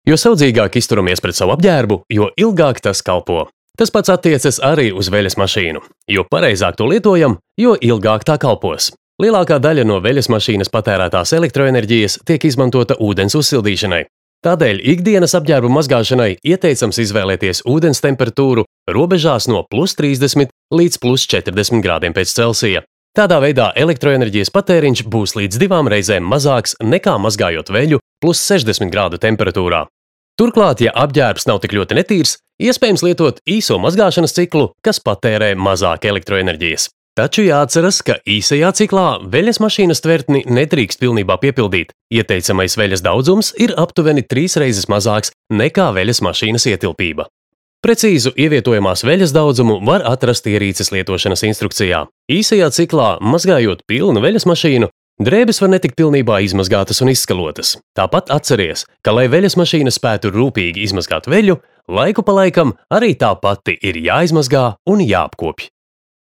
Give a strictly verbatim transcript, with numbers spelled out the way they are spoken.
Jo saudzīgāk izturamies pret savu apģērbu, jo ilgāk tas kalpo. Tas pats attiecas arī uz veļas mašīnu. Jo pareizāk to lietojam, jo ilgāk tā kalpos. Lielākā daļa no veļas mašīnas patērētās elektroenerģijas tiek izmantota ūdens uzsildīšanai. Tādēļ ikdienas apģērbu mazgāšanai ieteicams izvēlēties ūdens temperatūru robežās no plus trīsdesmit līdz plus četrdesmit grādiem pēc Celsija. Tādā veidā elektroenerģijas patēriņš būs līdz divām reizēm mazāks nekā mazgājot veļu plus sešdesmit grādu temperatūrā. Turklāt, ja apģērbs nav tik ļoti netīrs, iespējams lietot īso mazgāšanas ciklu, kas patērē mazāk elektroenerģijas. Taču jāatceras, ka īsajā ciklā veļas mašīnas tvertni nedrīkst pilnībā piepildīt. Ieteicamais veļas daudzums ir aptuveni trīs reizes mazāks nekā veļas mašīnas ietilpība. Precīzu ievietojamās veļas daudzumu var atrast ierīces lietošanas instrukcijā. Īsajā ciklā, mazgājot pilnu veļas mašīnu, drēbes var netikt pilnībā izmazgātas un izskalotas. Tāpat atceries, ka, lai veļas mašīna spētu rūpīgi izmazgāt veļu, laiku pa laikam arī tā pati ir jāizmazgā un jāapkopj.